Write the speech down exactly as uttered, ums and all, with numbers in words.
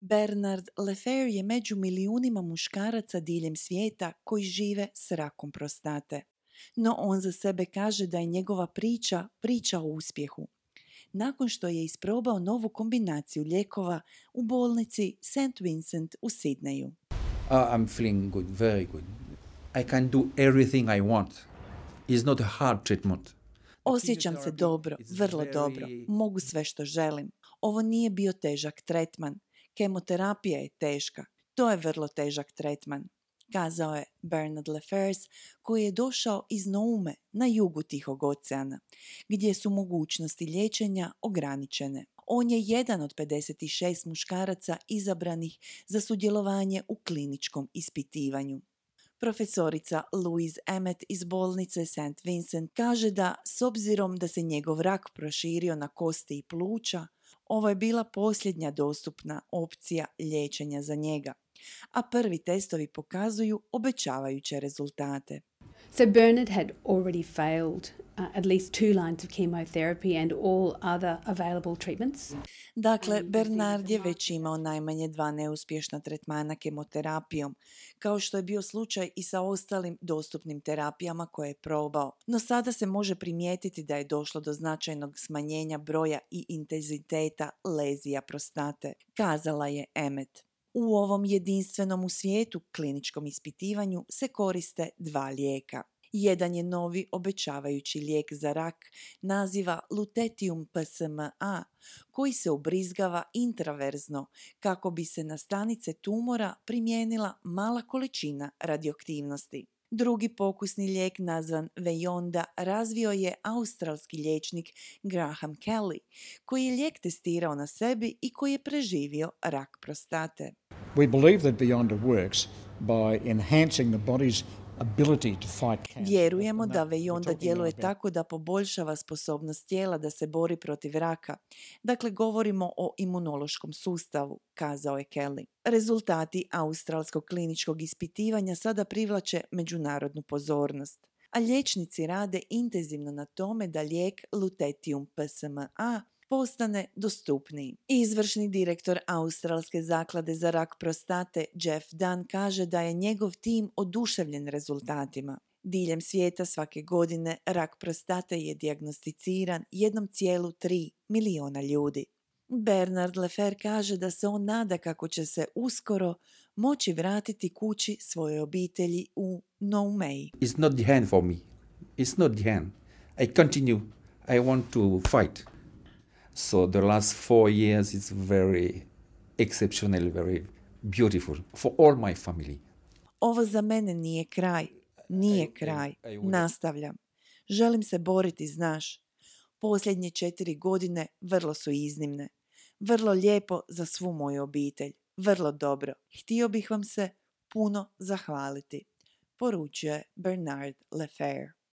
Bernard Lefebvre je među milijunima muškaraca diljem svijeta koji žive s rakom prostate. No on za sebe kaže da je njegova priča priča o uspjehu. Nakon što je isprobao novu kombinaciju lijekova u bolnici Saint Vincent u Sidneju. Uh, I'm feeling good, very good. I can do everything I want. It's not a hard treatment. Osjećam se dobro, vrlo dobro. Mogu sve što želim. Ovo nije bio težak tretman. Kemoterapija je teška. To je vrlo težak tretman, kazao je Bernard Lefebvre, koji je došao iz Noume na jugu Tihog oceana, gdje su mogućnosti liječenja ograničene. On je jedan od pedeset šest muškaraca izabranih za sudjelovanje u kliničkom ispitivanju. Profesorica Louise Emmett iz bolnice Saint Vincent kaže da, s obzirom da se njegov rak proširio na kosti i pluća, ovo je bila posljednja dostupna opcija liječenja za njega, a prvi testovi pokazuju obećavajuće rezultate. So Bernard had already failed uh, at least two lines of chemotherapy and all other available treatments. Dakle, Bernard je već imao najmanje dva neuspješna tretmana kemoterapijom, kao što je bio slučaj i sa ostalim dostupnim terapijama koje je probao. No sada se može primijetiti da je došlo do značajnog smanjenja broja i intenziteta lezija prostate, kazala je Emmett. U ovom jedinstvenom u svijetu kliničkom ispitivanju se koriste dva lijeka. Jedan je novi obećavajući lijek za rak, naziva Lutetium P S M A, koji se ubrizgava intraverzno kako bi se na stanice tumora primijenila mala količina radioaktivnosti. Drugi pokusni lijek nazvan Vejonda razvio je australski liječnik Graham Kelly, koji je lijek testirao na sebi i koji je preživio rak prostate. We believe that Beyonda works by enhancing the body's ability to fight cancer. Vjerujemo da Vejonda djeluje tako da poboljšava sposobnost tijela da se bori protiv raka. Dakle, govorimo o imunološkom sustavu, kazao je Kelly. Rezultati australskog kliničkog ispitivanja sada privlače međunarodnu pozornost, a liječnici rade intenzivno na tome da lijek Lutetium P S M A postane dostupniji. Izvršni direktor Australske zaklade za rak prostate Jeff Dunn kaže da je njegov tim oduševljen rezultatima. Diljem svijeta svake godine rak prostate je dijagnosticiran jedan zarez tri miliona ljudi. Bernard Lefebvre kaže da se on nada kako će se uskoro moći vratiti kući svojoj obitelji u Noumei. It's not the end for me. It's not the end. I continue. I want to fight. So the last four years is very exceptional, very beautiful for all my family. Ovo za mene nije kraj. Nije kraj. Nastavljam. Želim se boriti, znaš. Posljednje četiri godine vrlo su iznimne. Vrlo lijepo za svu moju obitelj. Vrlo dobro. Htio bih vam se puno zahvaliti, poručuje Bernard Lefebvre.